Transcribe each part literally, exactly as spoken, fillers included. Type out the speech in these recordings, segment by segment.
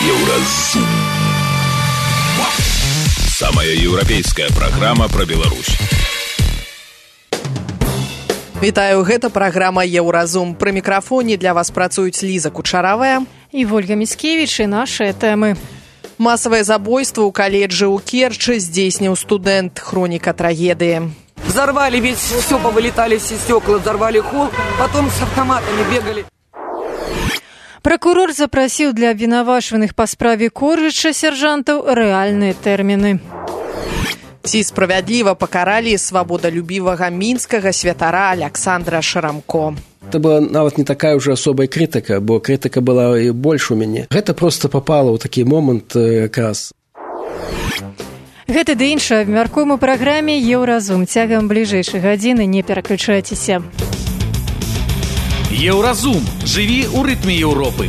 Еўразум. Самая еўрапейская праграма пра Беларусь. Вітаю, гэта праграма Еўразум. Пры мікрафоне для вас працуюць Ліза Кучаравая і Вольга Міцкевіч, і нашыя тэмы. Масавае забойство ў каледжы ў Керчы здзейсніў студэнт. Хроніка трагедыі. Взорвали весь, все повылетали, все стекла, взорвали холл, потом с автоматами бегали. Пракурор запрасіў для абвінавачваных па справе Коржыча сяржантаў рэальныя тэрміны. Ці справядліва пакаралі свабодалюбівага мінскага святара Аляксандра Шарамко. Это была нават не такая уже особая крытыка, бо крытыка была і больш у мяне. Гэта проста попало ў такі момант якраз. Гэта ды іншае абмяркуем у праграме Еўразум. Цягам бліжэйшай гадзіны не пераключайцеся. Еўразум. Жыві ў рытме Еўропы.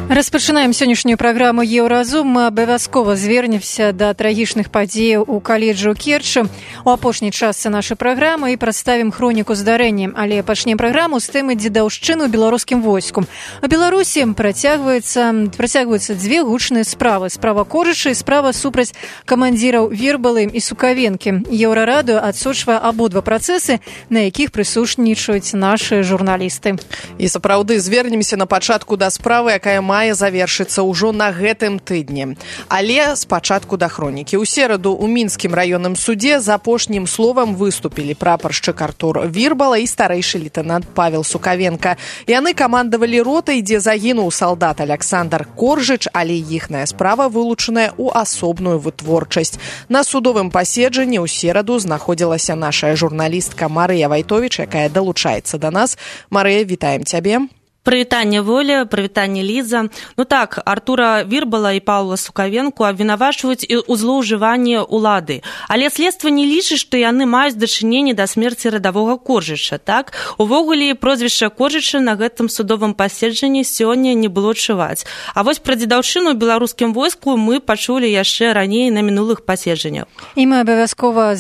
Распачынаем сённяшнюю праграму Еўразум. Мы абавязкова звернемся да трагічных падзеяў у каледжы ў Керчы у апошняй частцы нашай праграмы і прадставім хроніку здарэння. Але пачнем праграму з тэмы дзедаўшчыны ў беларускім войску. У Беларусі працягваюцца, працягваюцца дзве гучныя справы. Справа Коржыча і справа супраць камандзіраў Вербалы і Сукавенкі. Еўрарадыё адсочвае абодва працэсы, на якіх прысутнічаюць нашы журналісты. І сапраўды звернемся на пачатку да справы, якая мае завершыцца ўжо на гэтым тыдні. Але спачатку да хронікі. У сераду ў мінскім раённым судзе з апошнім словам выступілі прапаршчык Артур Вербала і старэйшы лейтэнант Павел Сукавенка. Яны камандавалі ротай, дзе загінуў салдат Аляксандр Коржыч, але іхная справа вылучаная ў асобную вытворчасць. На судовым паседжанні ў сераду знаходзілася наша журналістка Марыя Вайтовіч, якая далучаецца да нас. Марыя, вітаем цябе. Прывітанне, Воля, прывітанне, Ліза. Ну так, Артура Вербала і Паўла Сукавенку абвінавачваюць у злоўжыванні ўлады. Але следства не лічыць, што яны маюць дачыненне да смерці радавога Коржыча, так? Увогуле, прозвішча Коржыча на гэтым судовым паседжанні сёння не было чуваць. А вось пра дзедаўшчыну ў беларускім войску мы пачулі яшчэ раней на мінулых паседжаннях. І мы абавязкова...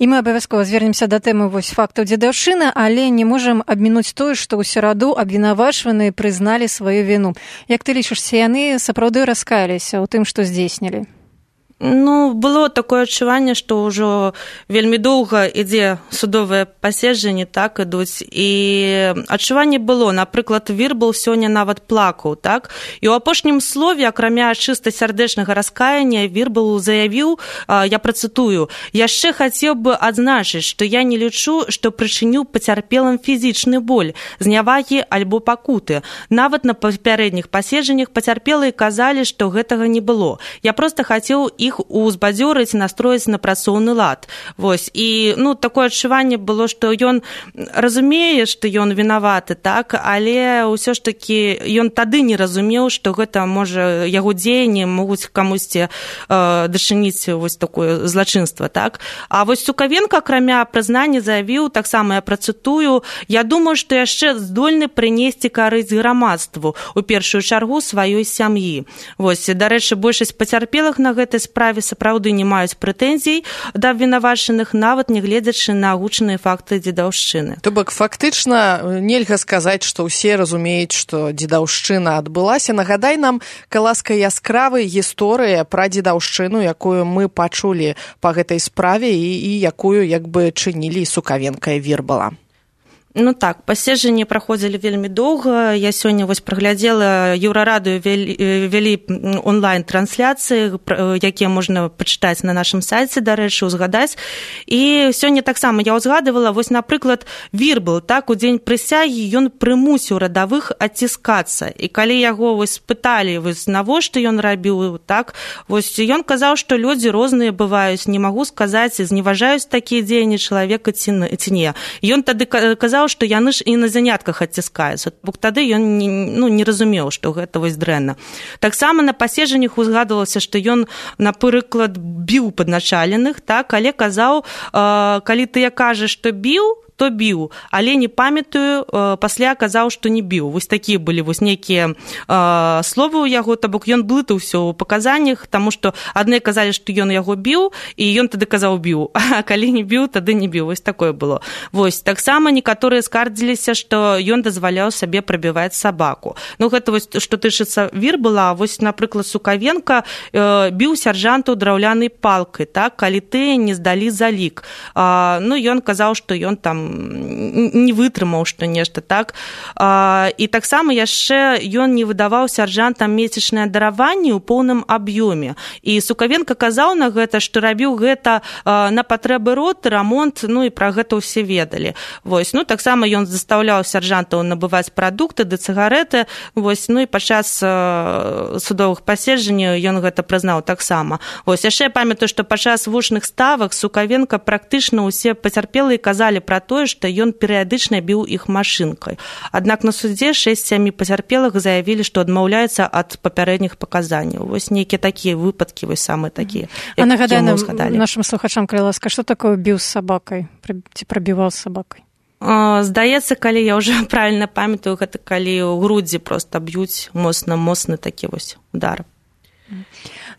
І мы абавязкова звернемся да тэмы вось фактаў дзедаўшчыны, але не можам абмінуць тое, што ў сераду абвінавачваныя прызналі сваю віну. Як ты лічышся, яны сапраўды раскаяліся ў тым, што здзейснілі? Ну, было такое адчуванне, што ўжо вельмі доўга ідзе судовае паседжанне, так ідуць. І адчуванне было, напрыклад, Вербал сёння нават плакаў, так? І ў апошнім слове, акрамя чыста сардэчнага раскаяння, Вербал заявіў, я працытую, яшчэ хацеў бы адзначыць, што я не лічу, што прычыніў пацярпелым фізічны боль, знявагі альбо пакуты. Нават на папярэдніх паседжаннях пацярпелыя казалі, што гэтага не было. Я проста хацеў іх узбадзёрыць, настроіць на працоўны лад. Вось. І, ну, такое адчуванне было, што ён разумее, што ён вінаваты, так, але ўсё ж такі ён тады не разумеў, што гэта, можа, яго дзеянні могуць камусьці э, дачыніць вось такое злачынства, так. А вось Сукавенка, акрамя прызнання, заявіў, таксама я працытую, я думаю, што яшчэ здольны прынесці карысць грамадству, у першую чаргу сваёй сям'і. Вось, дарэчы, большасць пацярпелых на гэтай справе сапраўды не маюць прэтэнзій да абвінавачаных, нават не гледзячы на гучныя факты дзедаўшчыны. То бок, фактычна нельга сказаць, што ўсе разумеюць, што дзедаўшчына адбылася. Нагадай нам, каласка, яскравая гісторыя пра дзедаўшчыну, якую мы пачулі па гэтай справе і, і якую як бы чынілі Сукавенка і Вербала. Ну так, паседжанні праходзілі вельмі доўга. Я сёння вось праглядзела, Еўрарадыё вялі онлайн-трансляцыі, якія можна пачытаць на нашым сайце, дарэчы, узгадаць. І сёння таксама я ўзгадывала, вось, напрыклад, Вербал, так, у дзень прысягі ён прымусіў радавых адціскацца. І калі яго вось спыталі, вось, навошта ён рабіў, так, вось ён казаў, што людзі розныя бываюць, не магу сказаць, зневажаюць такія дзеянні чалавека ці не. Ён тады казаў, што яны ж і на занятках адціскаюцца. Бо тады ён не, ну, не разумеў, што гэта вось дрэнна. Таксама на паседжаннях узгадвалася, што ён, напрыклад, біў падначаленых, так, але казаў, э, калі ты я кажаш, што біў, то біў, але не памятаю, пасля казаў, што не біў. Вось такія былі вось нейкія словы ў яго, то бок ён блытаўся ў паказаннях, таму што адны казалі, што ён яго біў, і ён тады казаў біў, а калі не біў, тады не біў. Вось такое было. Вось таксама некаторыя скардзіліся, што ён дазваляў сабе прабіваць сабаку. Ну гэта вось што тычыцца Вірбала, вось напрыклад Сукавенка біў сяржантаў драўлянай палкай, так, калі ты не здалі залік. Ну, ён казаў, што ён там не вытрымаў, што нешта, так. І таксама яшчэ ён не выдаваў сяржантам месячнае дараванне ў поўным аб'ёме. І Сукавенка казаў на гэта, што рабіў гэта на патрэбы роты, рамонт, ну і пра гэта ўсе ведалі. Вось, ну, таксама ён застаўляў сяржантаў набываць прадукты ды цыгарэты, вось, ну і падчас судовых паседжанняў ён гэта прызнаў таксама. Вось, яшчэ я памятаю, што падчас вушных ставак Сукавенка практычна ўсе пацярпелыя казалі пра тое, што ён перыядычна біў іх машынкай. Аднак на судзе шэсць-сем пацярпелых заявілі, што адмаўляецца ад папярэдніх паказанняў. Вось нейкія такія выпадкі, вось самыя такія. А нагадай нам, нашым слухачам, калі ласка, што такое біў з сабакай? Ці прабіваў з сабакай? Здаецца, калі я ўжо правільна памятаю, гэта калі ў грудзі проста б'юць моцна-моцны такі вось удар.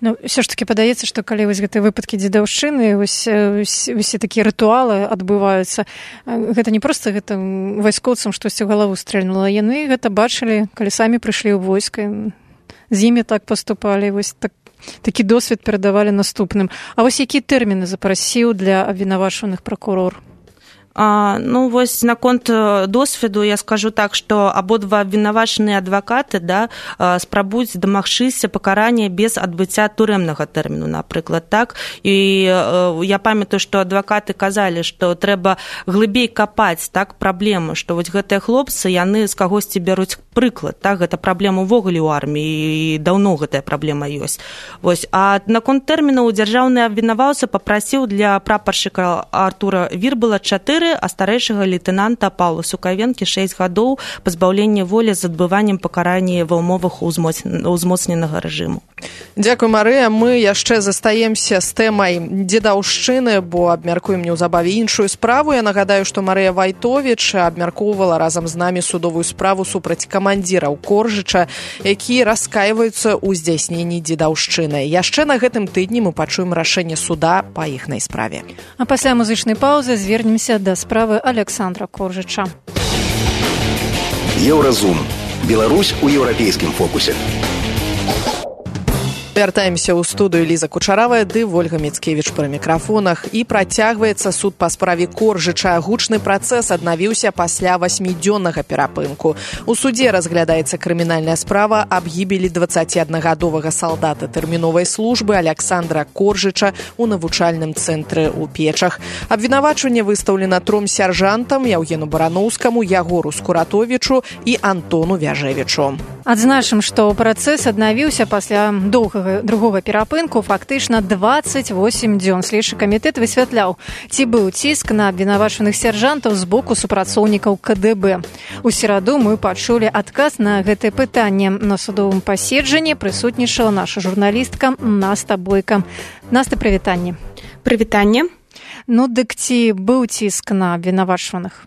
Ну, все ж таки падаецца, што калі вось гэтыя выпадкі дзедаўшчыны, вось усе такія рытуалы адбываюцца, гэта не проста гэта вайскоўцам штосьці ў галаву стрэльнула, яны гэта бачылі, калі самі прыйшлі ў войска, з імі так паступалі, вось так, такі досвед перадавалі наступным. А вось якія тэрміны запрасіў для абвінавачаных пракурор? А, ну, вось наконт досведу я скажу так, што абодва абвінавачаныя адвакаты, да, спрабуюць дамагчыся пакарання без адбыцця турэмнага тэрміну, напрыклад, так. І я памятаю, што адвакаты казалі, што трэба глыбей капаць, так, праблему, што вось гэтыя хлопцы, яны з кагосьці бяруць прыклад, так, гэта праблема ўвогуле ў арміі, і даўно гэтая праблема ёсць. Вось, а наконт тэрмінаў дзяржаўны абвінаваўца папрасіў для прапаршчыка Артура Вірбала чатыры, а старэйшага лейтэнанта Паўла Сукавенкі шэсць гадоў пазбаўлення волі з адбываннем пакарання ва ўмовах узмоцненага рэжыму. Дзякуй, Марыя. Мы яшчэ застаемся з тэмай дзедаўшчыны, бо абмяркуем неўзабаве іншую справу. Я нагадаю, што Марыя Вайтовіч абмяркоўвала разам з намі судовую справу супраць камандзіраў Коржыча, які раскайваюцца ў здзяйсненні дзедаўшчыны. Яшчэ на гэтым тыдні мы пачуем рашэнне суда па іхнай справе. А пасля музычнай паўзы звернемся да справы Александра Коржыча. Еўразум. Беларусь у еўрапейскім фокусе. Вяртаемся ў студыю. Ліза Кучаравая ды Вольга Міцкевіч пры мікрафонах. І працягваецца суд па справе Коржыча. Гучны працэс аднавіўся пасля васьмідзённага перапынку. У судзе разглядаецца крымінальная справа аб гібелі дваццаціаднагадовага салдата тэрміновай службы Александра Коржыча ў навучальным цэнтры ў Печах. Абвінавачванне выстаўлена тром сяржантам: Яўгену Бараноўскаму, Ягору Скуратовічу і Антону Вяжэвічу. Адзначым, што працэс аднавіўся пасля доўгага другога перапынку, фактычна дваццаць восем дзён. Следчы камітэт высвятляў, ці быў ціск на абвінавачаных сяржантаў з боку супрацоўнікаў ка дэ бэ. У сераду мы пачулі адказ на гэтае пытанне. На судовым паседжанні прысутнічала наша журналістка Наста Бойка. Наста, прывітанне. Прывітанне. Ну, дык ці быў ціск на абвінавачаных?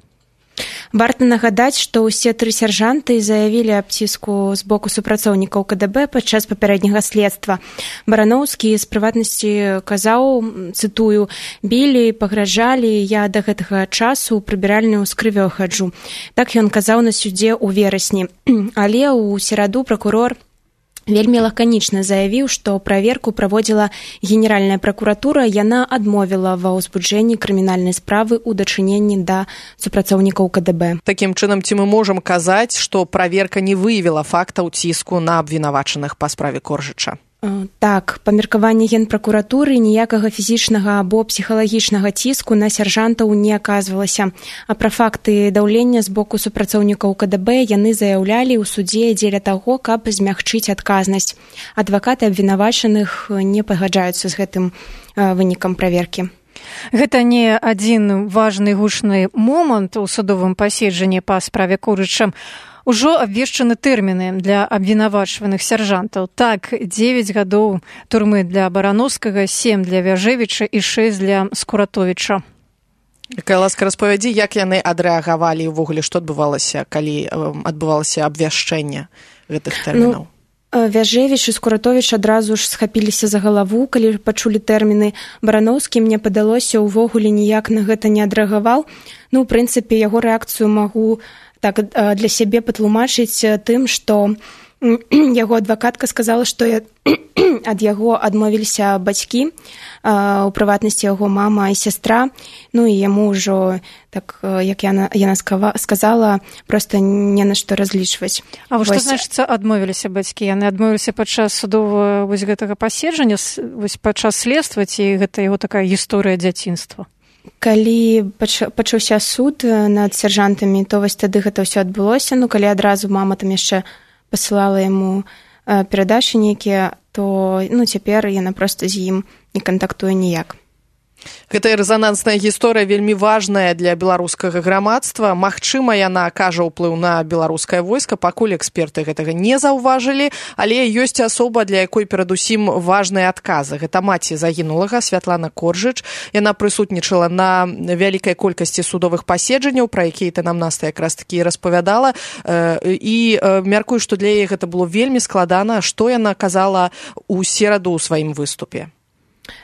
Варта нагадаць, што ўсе тры сяржанты заявілі аб ціску з боку супрацоўнікаў ка дэ бэ падчас папярэдняга следства. Бараноўскі з прыватнасці казаў, цытую, «Білі, пагражалі, я да гэтага часу ў прыбіральню з крывёй хаджу». Так ён казаў на судзе ў верасні. Але ў сераду пракурор вельмі лаканічна заявіў, што праверку праводзіла Генеральная пракуратура, яна адмовіла ва ўзбуджэнні крымінальнай справы ў дачыненні да супрацоўнікаў ка дэ бэ. Такім чынам, ці мы можам казаць, што праверка не выявіла фактаў ціску на абвінавачаных па справе Коржыча? Так, па меркаванні Генпракуратуры ніякага фізічнага або псіхалагічнага ціску на сяржантаў не аказвалася. А пра факты даўлення з боку супрацоўнікаў ка дэ бэ яны заяўлялі ў судзе дзеля таго, каб змягчыць адказнасць. Адвакаты абвінавачаных не пагаджаюцца з гэтым вынікам праверкі. Гэта не адзін важны гучны момант у судовым паседжанні па справе Коржыча. Ужо абвешчаны тэрміны для абвінавачваных сяржантаў. Так, дзевяць гадоў турмы для Бараноўскага, сем для Вяжэвіча і шэсць для Скуратовіча. Кай ласка, распавядзі, як яны адрэагавалі ўвогуле, што адбывалася, калі адбывалася абвяшчэнне гэтых тэрмінаў? Ну... Вяжевіч і Скуратовіч адразу ж схапіліся за галаву, калі пачулі тэрміны. Барановскі, мне падалося, увогуле ніяк на гэта не адрэагаваў. Ну, у прынцыпе, яго рэакцыю магу так для сябе патлумачыць тым, што яго адвакатка сказала, што ад яго адмовіліся бацькі, у прыватнасці яго мама і сястра, ну і яму ўжо, так як яна, яна сказала, проста не на што разлічваць. А вось што значыцца адмовіліся бацькі? Яны адмовіліся падчас судовага вось гэтага паседжання, вось падчас следства, ці гэта яго такая гісторыя дзяцінства? Калі пачаўся суд над сяржантамі, то вось тады гэта ўсё адбылося, ну калі адразу мама там яшчэ пасылала яму перадачы нейкія, то ну, цяпер яна проста з ім не кантактуе ніяк. Гэтая рэзанансная гісторыя вельмі важная для беларускага грамадства. Магчыма, яна акажа ўплыў на беларускае войска, пакуль эксперты гэтага не заўважылі, але ёсць асоба, для якой перадусім важныя адказы. Гэта маці загінулага Святлана Коржыч. Яна прысутнічала на вялікай колькасці судовых паседжанняў, пра якія ты нам Наста якраз такі распавядала, і мяркую, што для яе гэта было вельмі складана. Што яна казала ў сераду ў сваім выступе?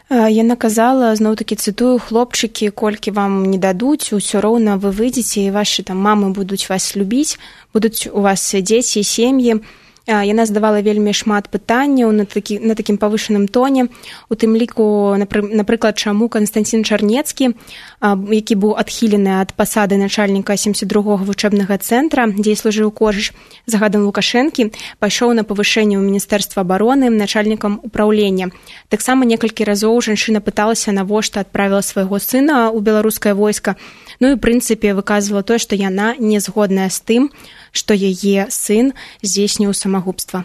Яна казала, зноў-такі цытую, хлопчыкі, колькі вам не дадуць, усё роўна вы выйдзеце, і вашы там мамы будуць вас любіць, будуць у вас дзеці і сем'і. Яна задавала вельмі шмат пытанняў на, такі, на такім павышаным тоне. У тым ліку, напрыклад, чаму Канстанцін Чарнецкі, які быў адхілены ад пасады начальніка семьдесят другога вучэбнага цэнтра, дзе служыў Коржыч за гадам Лукашэнкі, пайшоў на павышэнне ў Міністэрства абароны начальнікам управлення. Таксама некалькі разоў жанчына пыталася, навошта адправіла свайго сына ў беларускае войска. Ну і, ў прынцыпе, выказвала тое, што яна не згодная з тым, што яе сын здзейсніў самагубства.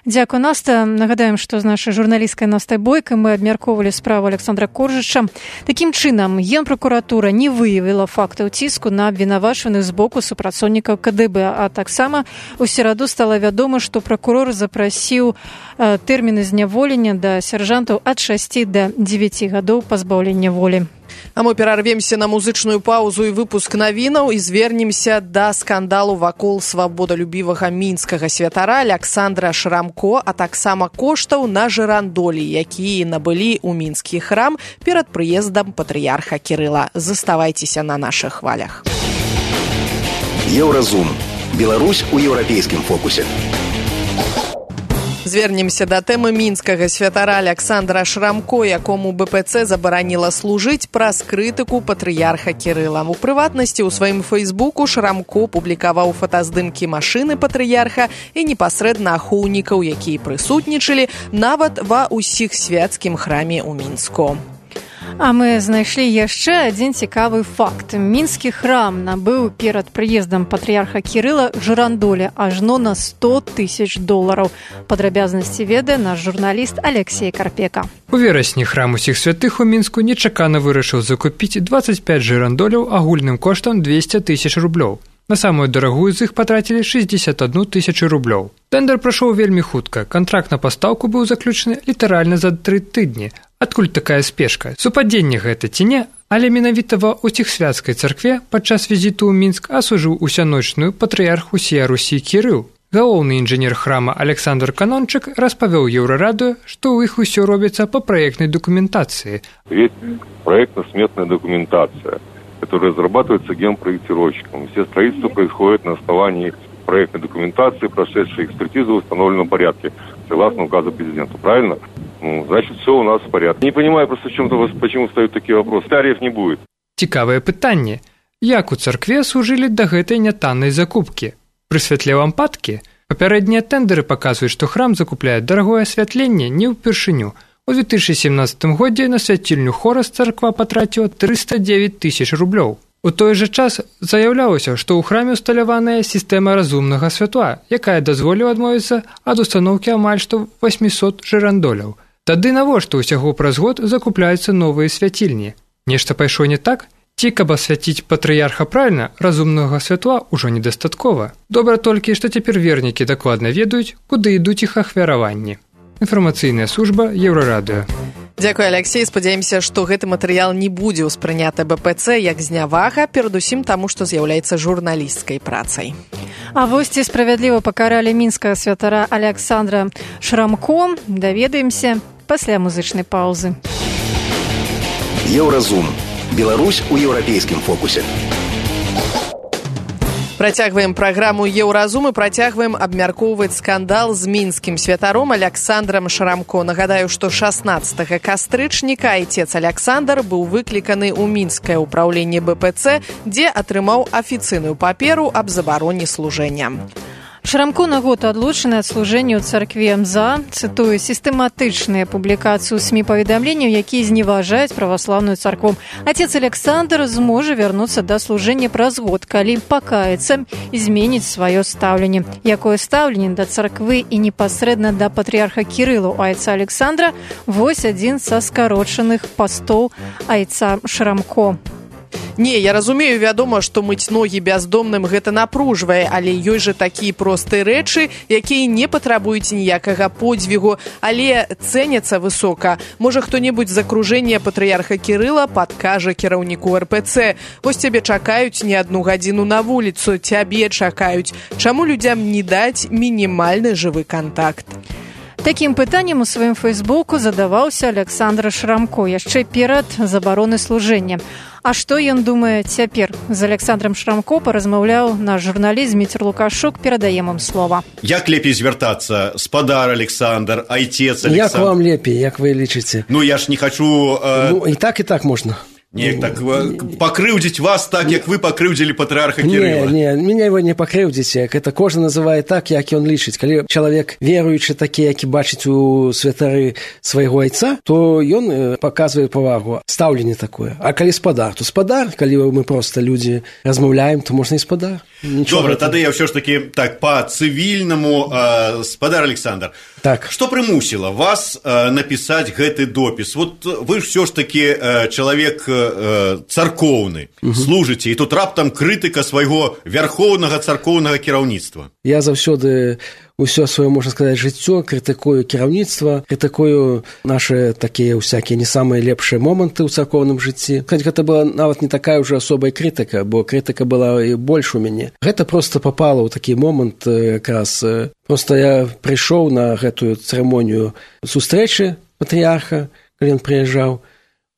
Дзякую, Наста. Нагадаем, што з нашай журналісткай Настай Бойкай мы абмяркоўвалі справу Александра Коржыча. Такім чынам, Генпракуратура не выявіла фактаў ціску на абвінавачаных з боку супрацоўнікаў ка дэ бэ, а таксама у сераду стала вядома, што пракурор запрасіў тэрміны зняволення да сяржантаў ад шасці да дзевяці гадоў пазбаўлення волі. А мы перарвемся на музычную паузу і выпуск навінаў і звернемся да скандалу вакол свабодалюбівага мінскага святара Аляксандра Шрамко, а таксама коштаў на жырандолі, якія набылі ў мінскі храм перад прыездам патрыярха Кірыла. Заставайцеся на нашых хвалях. Еўразум. Беларусь у еўрапейскім фокусе. Звернемся да тэмы мінскага святара Аляксандра Шрамко, якому бэ пэ цэ забараніла служыць праз крытыку патрыярха Кірыла. У прыватнасці ў сваім фэйсбуку Шрамко публікаваў фотаздымкі машыны патрыярха і непасрэдна ахоўнікаў, якія прысутнічалі нават ва ўсіх свяцкім храме ў Мінску. А мы знайшлі яшчэ адзін цікавы факт. Мінскі храм набыў перад прыездам патрыярха Кірыла жырандолі ажно на сто тысяч долараў. Падрабязнасці ведае наш журналіст Алексей Карпека. У верасні храм усіх святых у Мінску нечакана вырашыў закупіць двадцать пять жырандоляў агульным коштам двести тысяч рублёў. На самую дарагую з іх патрацілі шестьдесят одну тысячу рублёў. Тендер прайшоў вельмі хутка. Кантракт на пастаўку быў заключаны літаральна за тры тыдні. Адкуль такая спешка? Супадзенне гэта ці не? Але менавіта ва Уціхсвяцкай царкве падчас візіту ў Мінск асужыў усяночную патрыярх усея Русі Кірыл. Галоўны інжынер храма Александр Канончык распавёў Еўрарадыё, што ў іх усё робіцца па праектнай дакументацыі. Ведь проектно-сметная документация, которая разрабатывается генпроектировщиком. Все строительства происходит на основании проектной документации, прошедшей экспертизу в установленном порядке, согласно указу президента. Правильно? Ну, значит, все у нас в порядке. Не понимаю просто, в чем-то, почему встают такие вопросы. Тариф не будет. Цікавае пытанне. Як у царкве служылі да гэтай нятаннай закупкі? Пры святле лампадкі? Папярэднія тэндеры паказваюць, што храм закупляе дарагое асвятленне не ўпершыню. У две тысячи семнадцатым годзе на свяцільню хорас царква патраціла триста девять тысяч рублёў. У той жа час заяўлялася, што ў храме усталяваная сістэма разумнага святла, якая дазволіла адмовіцца ад устаноўкі амаль што восемьсот жырандоляў. Тады навошта ўсяго праз год закупляюцца новыя свяцільні? Нешта пайшло не так? Ці, каб асвяціць патрыярха правільна, разумнага святла ўжо недастаткова. Добра толькі, што цяпер вернікі дакладна ведаюць, куды ідуць іх ахвяраванні. Інфармацыйная служба Еўрарадыё. Дзякуй, Алексей. Спадзяемся, што гэты матэрыял не будзе ўспрыняты БПЦ як знявага, перадусім таму, што з'яўляецца журналісцкай працай. А вось ці справядліва пакаралі мінскага святара Александра Шрамко, даведаемся пасля музычнай паўзы. Еўразум. Беларусь у еўрапейскім фокусе. Працягваем праграму «Еўразум» і працягваем абмяркоўваць скандал з мінскім святаром Александрам Шрамко. Нагадаю, што шаснаццатага кастрычніка айцец Александр быў выкліканы ў мінскае ўпраўленне БПЦ, дзе атрымаў афіцыйную паперу аб забароне служэння. Шрамко на год адлучаны ад служэння ў царкве МЗА, цытую, сістэматычныя публікацыі ў СМІ паведамленняў, якія зневажаюць праваслаўную царкву. Отец Александр зможа вярнуцца да служэння праз год, калі пакаецца і зменіць сваё стаўленне. Якое стаўленне да царквы і непасрэдна да патрыарха Кірыла ў айца Александра, вось адзін са скарочаных пастоў айца Шрамко. Не, я разумею, вядома, што мыць ногі бяздомным гэта напружвае, але ёсць жа такія простыя рэчы, якія не патрабуюць ніякага подзвігу, але цэняцца высока. Можа, хто-небудзь з акружэння патрыярха Кірыла падкажа кіраўніку РПЦ. Вось цябе чакаюць не адну гадзіну на вуліцу, цябе чакаюць. Чаму людзям не даць мінімальны жывы кантакт? Такім пытаннем у сваім фэйсбуку задаваўся Александр Шрамко яшчэ перад забаронай служэння. А што ён думае цяпер? З Александром Шрамко паразмаўляў наш журналіст Зміцер Лукашук, перадаем ім слова. Як лепей звяртацца? Спадар Александр, айцец Александр? Як вам лепей, як вы лічыце? Ну, я ж не хачу... Э... Ну, і так, і так можна. Не, так покрыўдзіць вас так, як вы покрыўдзілі патрыарха Кірыла. Не, не, меня его не покрыўдзіць, это кожны называе так, як ён лічыць. Калі чалавек веруючы такі, які бачыць у святары свайго айца, то ён паказвае павагу, стаўленне такое. А калі спадар, то спадар, калі мы проста людзі размаўляем, то можна і спадар. Добра, тады я ўсё ж такі так па цывільнаму, э, спадар Александр. Так. Што прымусіла вас э, напісаць гэты допіс? Вот вы ж ўсё ж такі э, чалавек э, царкоўны, угу. служыце, і тут раптам крытыка свайго вярхоўнага царкоўнага кіраўніцтва. Я заўсёды ўсё сваё, можна сказаць, жыццё крытыкую кіраўніцтва, крытыкую нашы такія ўсякія не самыя лепшыя моманты ў царкоўным жыцці. Хоць гэта была нават не такая ўжо асобая крытыка, бо крытыка была і больш у мяне. Гэта проста папала ў такі момант, якраз проста я прыйшоў на гэтую цырымонію сустрэчы патрыярха, калі ён прыязджаў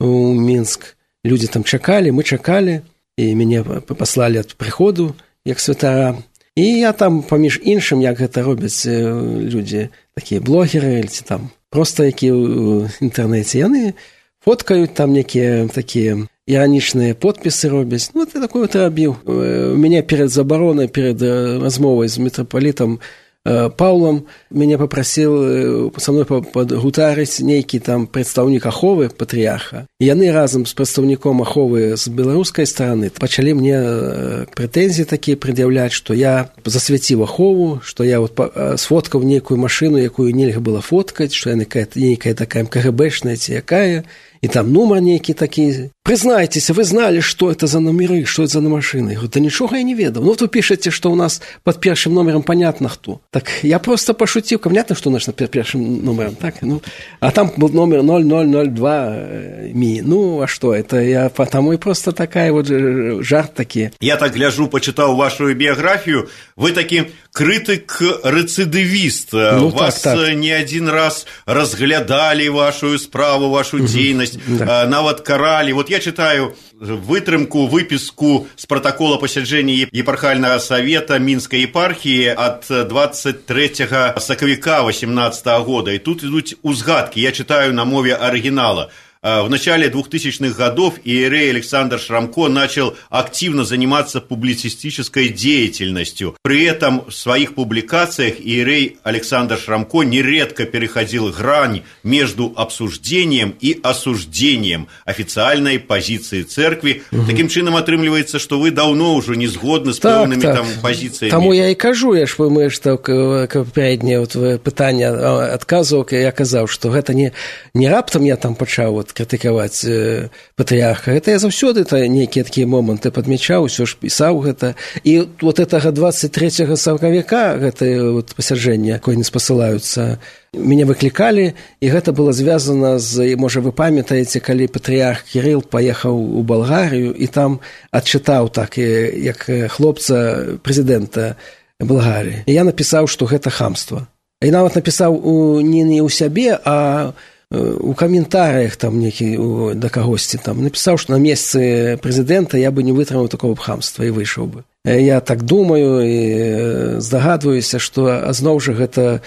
у Мінск. Людзі там чакалі, мы чакалі, і мяне паслалі ад прыходу як святара. І я там, паміж іншым, як гэта робяць людзі, такія блогеры, ці там проста якія ў інтэрнэце, яны фоткаюць там некія такія іранічныя подпісы робяць. Ну, ты такое вот рабіў. У мяне перад забаронай, перад размовай з мітрапалітам Паўлам мяне папрасіў са мной падгутарыць нейкі там прадстаўнік аховы патрыярха. І яны разам з прадстаўніком аховы з беларускай стараны пачалі мне прэтэнзіі такія прад'яўляць, што я засвяціў ахову, што я вот сфоткаў нейкую машыну, якую нельга было фоткаць, што яна нейкая такая КГБшная ці якая, і там нумар нейкі такі. Прызнайцеся, вы зналі, што это за номеры, што это за машыны? Я говорю, да нічога я не ведаў. Ну, вот вы пішаце, што ў нас пад першым номерам понятно хто. Так я просто пошутил, понятно, что у нас под першым номером, так? Ну, а там был номер ноль ноль ноль два ми. Ну, а что, это я потому и просто такая вот жарт такие. Я так гляжу, почитал вашу биографию, вы таки крытык-рецидивист. Ну, вас так, так. не один раз разглядали вашу справу, вашу угу. деятельность, да. нават карали. Вот я читаю вытрымку, выписку с протокола посяджэння епархального совета Минской епархии от двадцать третьего сакавіка восемнадцатого года. И тут идут узгадки, я читаю на мове оригинала. В начале двухтысячных годов иерей Александр Шрамко начал активно заниматься публицистической деятельностью. При этом в своих публикациях иерей Александр Шрамко нередко переходил грань между обсуждением и осуждением официальной позиции церкви. Угу. Таким чином отрымліваецца, что вы давно уже не згодны с так, пэўнымі так. там позициями. Тому я и кажу, я ж мы что попереднее вот пытание отказывал, я казаў, что это не, не раптом я там почав вот нават крытыкаваць патрыарха. Гэта я заўсёды нейкія такія моманты падмячаў, усё ж пісаў гэта. І вот гэтага двадцать трэцяга сакавіка, гэтае вот пасяджэнне, якое не спасылаюцца, мяне выклікалі, і гэта было звязана з, можа, вы памятаеце, калі патрыарх Кірыл паехаў у Балгарыю і там адчытаў так, як хлопца прэзідэнта Балгарыі. І я напісаў, што гэта хамства. І нават напісаў у, не, не ў сябе, а у каментарыях там некі да кагосьці там напісаў, што на месцы прэзідэнта я бы не вытрымаў такого хамства і выйшаў бы. Я так думаю і здагадваюся, што зноў жа гэта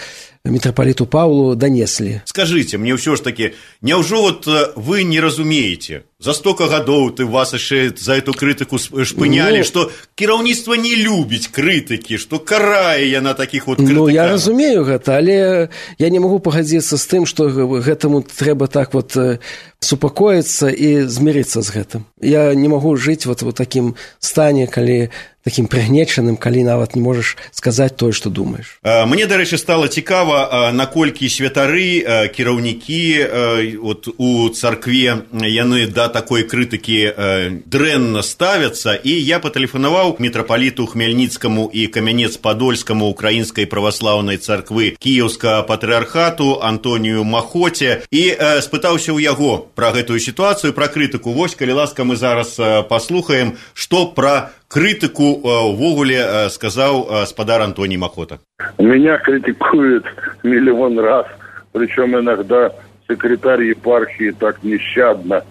мітрапаліту Паўлу данеслі. Скажыце, мне ўсё ж такі, няўжо вот вы не разумееце, за столько гадоў ты вас яшчэ за эту крытыку шпынялі, ну, што кіраўніцтва не любіць крытыкі, што карае яна такіх вот крытыкаў? Ну, я разумею гэта, але я не магу пагадзіцца з тым, што гэтаму трэба так вот супакоіцца і змірыцца з гэтым. Я не магу жыць вот у такім стане, калі такім прыгнечаным, калі нават не можаш сказаць тое, што думаеш. Мне, дарэчы, стала цікава, наколькі святары, кіраўнікі вот у царкве яны да такой крытыкі дрэнна ставяцца, і я патэлефанаваў мітрапаліту Хмельніцкаму і Камянец-Падольскаму украінскай праваслаўнай царквы Кіеўскага патрыархату Антонію Махоце і спытаўся ў яго пра гэтую сітуацыю, пра крытыку. Вось, калі ласка, мы зараз паслухаем, што пра критику увогуле сказал господар Антоний Махота. Меня критикуют миллион раз, причем иногда секретарь епархии так нещадно.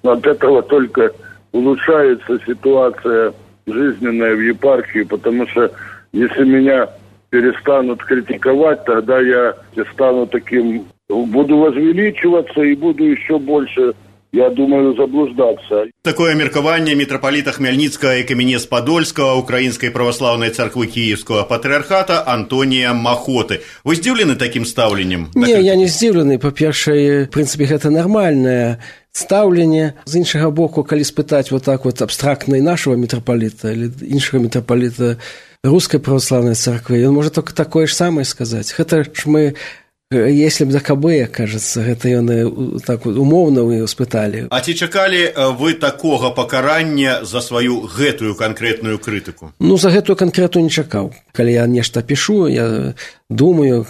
От этого только улучшается ситуация жизненная в епархии, потому что если меня перестанут критиковать, тогда я стану таким, буду возвеличиваться и буду еще больше, я думаю, заблуждаться. Такое меркаванне митрополита Хмельницкого и Камянец-Подольского Украинской православной церкви Киевского патриархата Антония Махоты. Вы здзіўлены таким ставленнем? Не, я не здзіўлены. Па-першае, в принципе, гэта нармальнае стаўленне. З іншага боку, калі спытаць вот так вот абстрактна і нашего митрополита или іншага митрополита Русской православной церкви, он может только такое ж самое сказать. Гэта ж мы, если б за КБ, кажется, гэта яны так умоўна вы спыталі. А ці чакалі вы такога пакарання за сваю гэтую канкрэтную крытыку? Ну, за гэтую канкрэтную не чакаў. Калі я нешта пишу, я думаю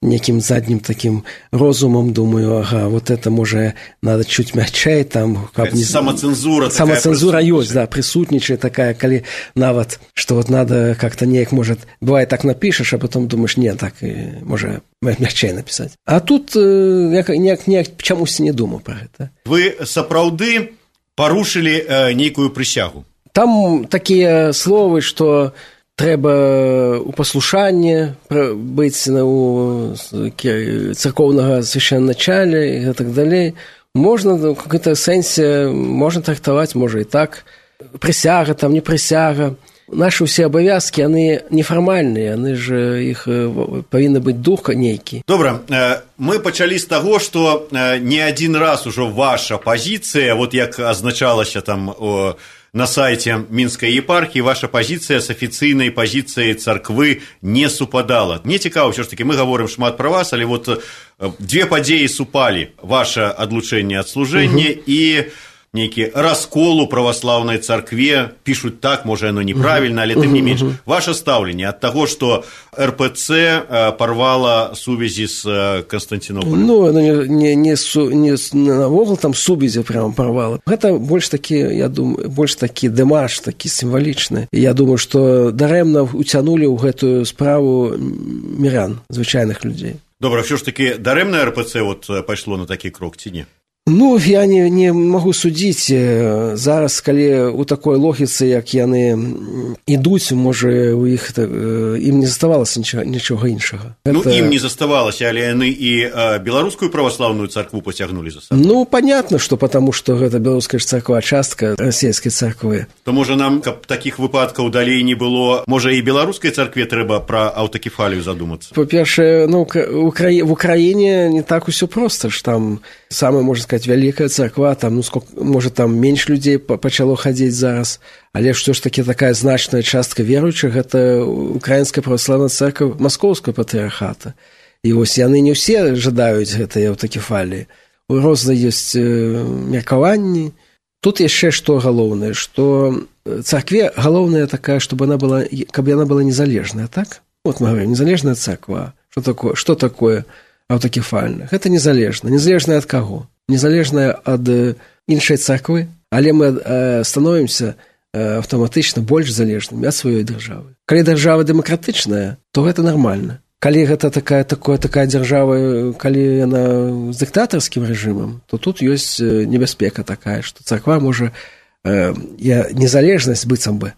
неким задним таким розумом, думаю, ага, вот это, может, надо чуть мягчей, там... Как не... Самоцензура такая. Самоцензура есть, да, присутничает такая, коли нават, что вот надо как-то неяк, может, бывает так напишешь, а потом думаешь, нет, так, может, мягчей написать. А тут я неяк, неяк чамусь не думал про это. Вы сапраўды порушили э, некую присягу? Там такие словы, что... Трэба у паслушанні быць у царкоўнага свяшчэнначаля і так далей. Можна в какой-то сэнсе можна трактаваць, можа і так. Прысяга, там не прысяга. Нашы ўсе абавязкі, яны нефармальныя, яны ж іх павінны быць дух нейкі. Добра, мы пачалі з таго, што не адзін раз ужо ваша пазіцыя, вот як азначалася там о на сайте Минской епархии, ваша позиция с официальной позицией церкви не супадала. Мне цікаво, все ж таки, мы говорим шмат про вас, але вот две падзеі супали. Ваше отлучение от служения угу. и некий раскол у православной церкви. Пишут так, может, оно неправильно, але тем не меньше. Ваше ставление от того, что РПЦ порвала сувязі с Константинополем? Ну, оно не, не, не, су, не навогул там сувязі прямо порвала. Это больше таки, я думаю, больше таки демарш, таки символичный. Я думаю, что даремно утянули у гэтую справу мирян, звычайных людей. Добре, все ж таки даремно РПЦ вот пошло на такий крок, ці ні? Ну, я не, не могу судзіць. Зараз, калі у такой логіцы, як яны ідуць, можа, у іх ім не заставалася нічога, нічога іншага. Ну, Это... ім не заставалася, але яны і беларускую православную царкву поцягнулі за сабой. Ну, понятно, что потому что гэта беларуская царква, частка расійскай царквы. То, можа, нам, каб такіх выпадкаў далей не было, можа, і беларускай царкве трэба пра аўтакефалію задумацца? Па-першае, ну, в Украине не так усё проста, ж там самое, можно сказать, вялікая царква, там, ну, сколько, может, там менш людзей пачало хадзіць зараз, але што ж таки такая значная частка веруючых, гэта украінская праваслаўная церква Маскоўскага патрыархата. І вось яны не ўсе жадаюць гэтай аўтакефаліі. розныя ёсць меркаванні. Тут яшчэ што галоўнае, што царкве галоўная такая, чтобы она была, каб яна была незалежная, так? Вот мы говорим, незалежная царква. Что такое, что такое аўтакефальна? Гэта незалежна. Незалежная ад каго? Незалежная ад іншай царквы, але мы становімся аўтаматычна больш залежнымі ад сваёй дзяржавы. Калі дзяржава дэмакратычная, то гэта нармальна. Калі гэта такая, такая, такая дзяржава, калі яна з дыктатарскім рэжымам, то тут ёсць небяспека такая, што царква можа э, незалежнасць быццам бы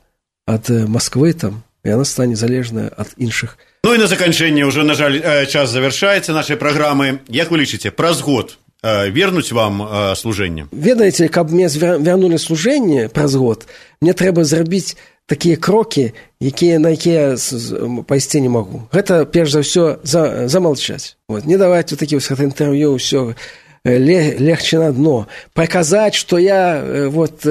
ад Масквы там, и она станет залежная от іншых. Ну и на заканчэнне уже, на жаль, час завершается нашей программы. Як вы лічыце, праз год вернуць вам служэнне? Ведаеце, каб мне вярнули служэнне праз год, мне трэба зрабіць такія крокі, якія, на якія пайсці не магу. Гэта, перш за ўсё, за, замалчаць. Вот. Не даваць вот такие вот інтэрв'ю, ўсё легче на дно. Паказаць, што я вот,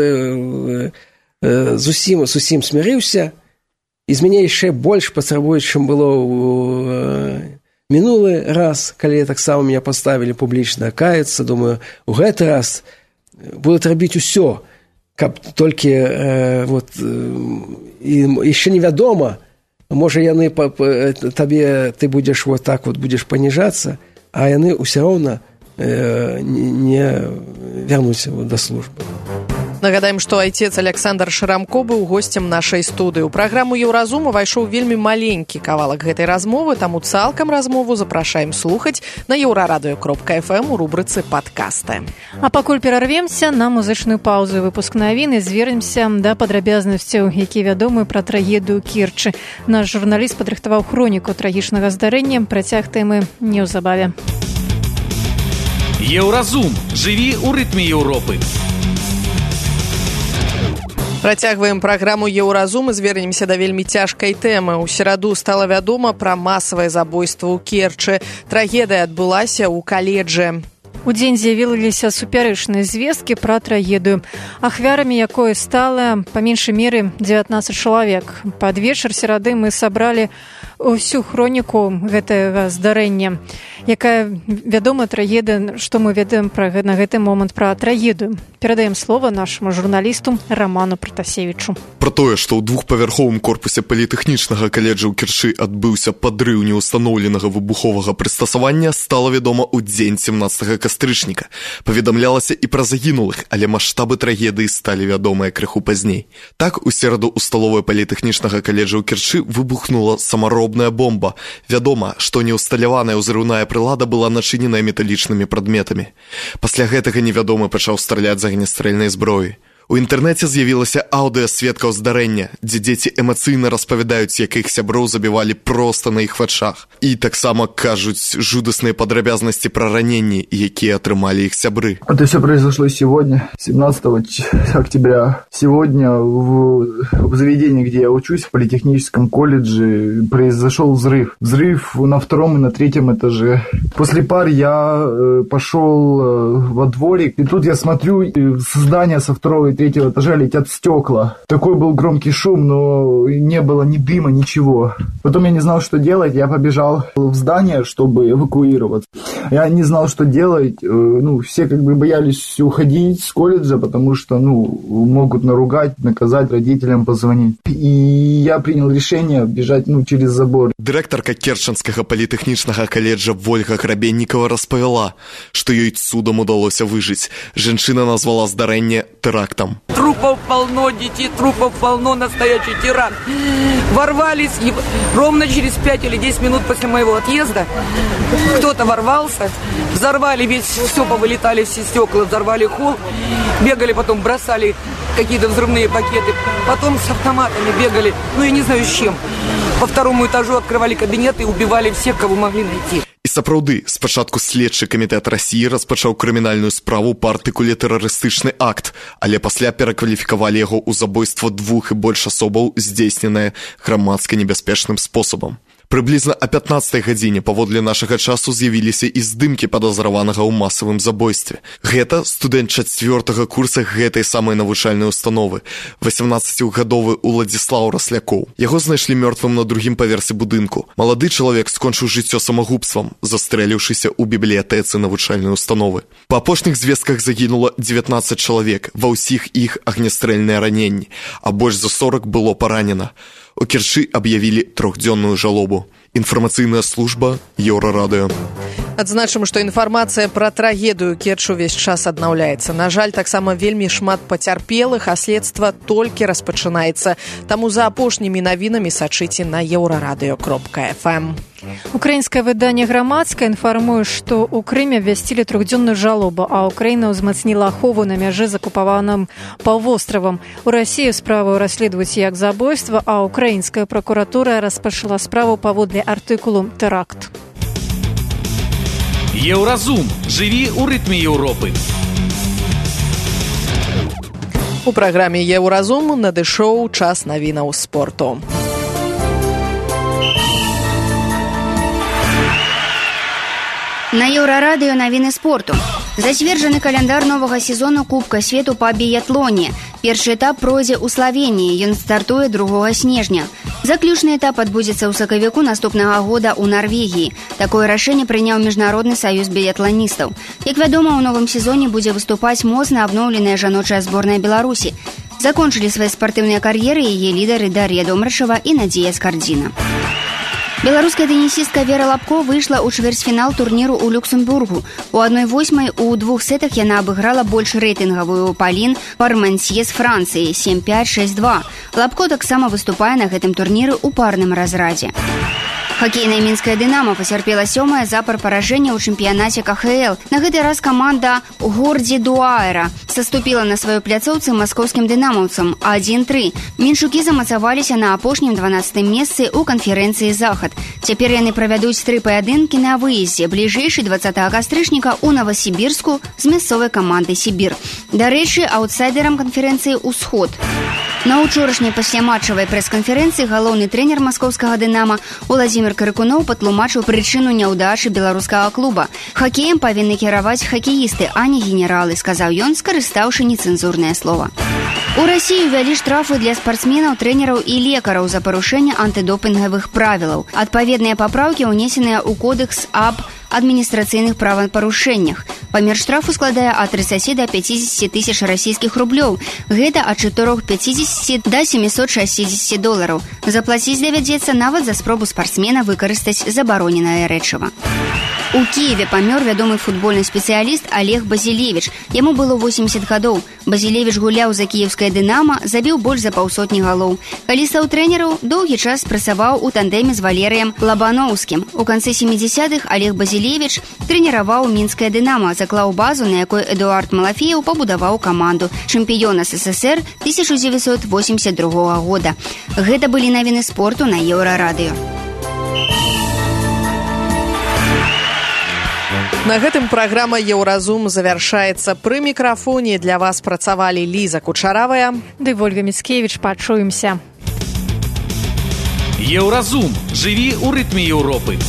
зусім, зусім смірыўся, і з мяне яшчэ больш патрабуюць, чым было ў мінулы раз, калі таксама меня паставілі публічна каяцца. Думаю, у гэты раз будуць рабіць усё, каб толькі э, вот, э, і яшчэ невядома, можа яны па, па, табе, ты будзеш вот так вот будзеш паніжацца, а яны ўсё роўна э, не вярнуць да службы. Нагадаем, што айцец Александр Шрамко быў госцем нашай студыі. У праграму «Еўразум» увайшоў вельмі маленькі кавалак гэтай размовы, таму цалкам размову запрашаем слухаць на еўрарадыё кропка эф эм у рубрыцы «Падкасты». А пакуль перарвемся на музычную паузу. Выпуск навін і звернемся да падрабязнасцяў, якія вядомы пра трагедыю Керчы. Наш журналіст падрыхтаваў хроніку трагічнага здарэння. Працяг тэмы неўзабаве. Еўразум. Жыві ў рытме Еўропы. Працягваем праграму «Еўразум» і звернемся да вельмі цяжкай тэмы. У сераду стала вядома пра масавае забойства ў Керчы. Трагедыя адбылася ў каледжы. У дзень з'явіліся супярэчныя звесткі пра трагедыю, ахвярамі якой стала па меншай меры дзевятнаццаць чалавек. Пад вечар серады мы сабралі ўсю хроніку гэтага здарэння. Якая вядомая трагедыя, што мы ведаем пра, на гэты момант пра трагедыю. Перадаем слова нашаму журналісту Раману Пратасевічу. Пра тое, што ў двухпавярховым корпусе політэхнічнага каледжа ў Керчы адбыўся падрыў неўстаноўленага выбуховага прыстасавання, стала вядома ў дзень семнаццатага кастрычніка. Паведамлялася і пра загінулых, але маштабы трагедыі сталі вядомыя крыху пазней. Так, у сераду ў сталовай політэхнічнага каледжа ў Керчы выбухнула самаробная бомба. Вядома, што неўсталяваная ўзрыўная прылада была начыненая металічнымі прадметамі. Пасля гэтага невядомы пачаў страляць з агнястрэльнай зброі. У інтэрнэце з'явілася аўдыа сведкаў здарэння, дзе дзеці эмацыйна распавядаюць, як іх сяброў забівалі проста на іх вачах. І таксама кажуць жудасныя падрабязнасці пра раненні, якія атрымалі іх сябры. Это все произошло сегодня, семнадцатого октября. Сегодня в, в заведении, где я учусь, в политехническом колледже, произошел взрыв. Взрыв на втором и на третьем этаже. После пар я э, пошел э, во дворик, и тут я смотрю, э, с здания со второго и третьего этажа летят стекла. Такой был громкий шум, но не было ни дыма, ничего. Потом я не знал, что делать, я побежал в здание, чтобы эвакуироваться. Я не знал, что делать, ну, все как бы боялись уходить с колледжа, потому что, ну, могут наругать, наказать, родителям позвонить. И я принял решение бежать, ну, через забор. Дырэктарка Керчанскага політэхнічнага каледжа Вольга Грабеннікова распавяла, што ёй цудам удалося выжыць. Жанчына назвала здарэнне тэрактам. Трупов полно, детей трупов полно, настоящий тиран. Ворвались, и ровно через пять или десять минут после моего отъезда кто-то ворвался, взорвали весь, все повылетали все стекла, взорвали холл, бегали потом, бросали какие-то взрывные пакеты, потом с автоматами бегали, ну я не знаю с чем. По второму этажу открывали кабинеты и убивали всех, кого могли найти. І сапраўды, спачатку следчы камітэт Расіі распачаў крымінальную справу па артыкуле тэрарыстычны акт, але пасля перакваліфікавалі яго ў забойства двух і больш асобаў, здзейсненае грамадска небяспечным спосабам. Прыблізна о пятнаццатай гадзіне паводле нашага часу з'явіліся і здымкі падазраванага ў масавым забойстве. Гэта студэнт чацвёртага курса гэтай самай навучальнай установы, васямнаццацігадовы Уладзіслаў Раслякоў. Яго знайшлі мёртвым на другім паверсе будынку. Малады чалавек скончыў жыццё самагубствам, застрэліўшыся ў бібліятэцы навучальнай установы. Па апошніх звестках загінула дзевятнаццаць чалавек, ва ўсіх іх агнястрэльныя раненні, а больш за сорок было паранена. У Керчы аб'явілі трохдзённую жалобу. Інфармацыйная служба Еўрарадыё. Адзначым, што інфармацыя пра трагедыю Керчь увесь час аднаўляецца. На жаль, таксама вельмі шмат пацярпелых, а следства толькі распачынаецца. Таму за апошнімі навінамі сачыце на еўрарадыё кропка эф эм. Украінскае выданне «Грамадскае» інфармуе, што ў Крыме абвясцілі трохдзённую жалобу, а Украіна ўзмацніла ахову на мяжы з акупаваным паўвостравам. У Расіі справу расследуюць як забойства, а украінская пракуратура распачала справу паводле артыкулу «Тэракт». Еўразум. Жыві ў рытме Еўропы. У праграме «Еўразум» надышоў час навінаў спорту. На Еўрарадыё навіны спорту. Зацверджаны каляндар новага сезону Кубка свету па біятлоне. Першы этап пройдзе ў Славеніі, ён стартуе другога снежня. Заключны этап адбудзецца ў сакавіку наступнага года ў Нарвегіі. Такое рашэнне прыняў міжнародны саюз біятланістаў. Як вядома, у новым сезоне будзе выступаць моцна абноўленая жаночая зборная Беларусі. Закончылі свае спартыўныя кар'еры яе лідары Дар'я Домрачева і Надзея Скардзіна. Беларуская тенісістка Вера Лапко выйшла ў чвэрцьфінал турніру ў Люксембургу. У адной восьмай у двух сетах яна абыграла больш рэйтынгавую Палін Пармансье з Францыі сем пяць шэсць два. Лапко таксама выступае на гэтым турніры ў парным разрадзе. Хакейная мінская «Дынамо» пацярпела сёмае запар паражэння ў чэмпіянаце ка ха эл. На гэты раз каманда Гордзі Дуаера саступіла на сваёй пляцоўцы маскоўскім дынамаўцам адзін тры. Меншукі замацаваліся на апошнім дванаццатым месцы ў канферэнцыі «Захад». Цяпер яны правядуць тры паядынкі на выездзе, бліжэйшы дваццатага кастрычніка ў Новасібірску з мясцовай камандай «Сібір». Дарэчы, аўтсайдерам канферэнцыі «Усход». На учорашняй пасляматчавай прэс-канферэнцыі галоўны трэнер маскоўскага «Дынамо» Уладзімір Карыкуноў патлумачыў прычыну няўдачы беларускага клуба. Хакеем павінны кіраваць хакеісты, а не генералы, сказаў ён, скарыстаўшы нецэнзурнае слова. У Расіі ўвялі штрафы для спартсменаў, трэнераў і лекараў за парушэнне антыдопінгавых правілаў. Адпаведныя папраўкі ўнесеныя ў кодэкс аб адміністрацыйных правапарушэннях. Памер штрафу складае ад трыццаці да пяцідзесяці тысяч расійскіх рублёў. Гэта ад чатырох пяцідзесяці да сямісот шэсцідзесяці долараў. Заплаціць давядзецца нават за спробу спартсмена выкарыстаць забароненае рэчыва. У Кіеве памёр вядомы футбольны спецыяліст Олег Базілевіч. Яму было восемьдесят гадоў. Базілевіч гуляў за кіеўскае «Дынамо», забіў больш за паўсотні галоў. Калі стаў трэнеру, доўгі час працаваў у тандэме з Валерыем Лабановскім. У канцы сямідзесятых Олег Базілевіч трэніраваў мінскае «Дынамо», заклаў базу, на якой Эдуард Малафеев пабудаваў каманду чэмпіёна эс эс эс эр тысяча дзевяцьсот восемьдесят другога года. Гэта былі навіны спорту на Еўрарадыё. На гэтым праграма «Еўразум» завяршаецца. Пры мікрафоне для вас працавалі Ліза Кучаравая ды Вольга Міцкевіч. Пачуемся. Еўразум. Жыві ў рытме Еўропы.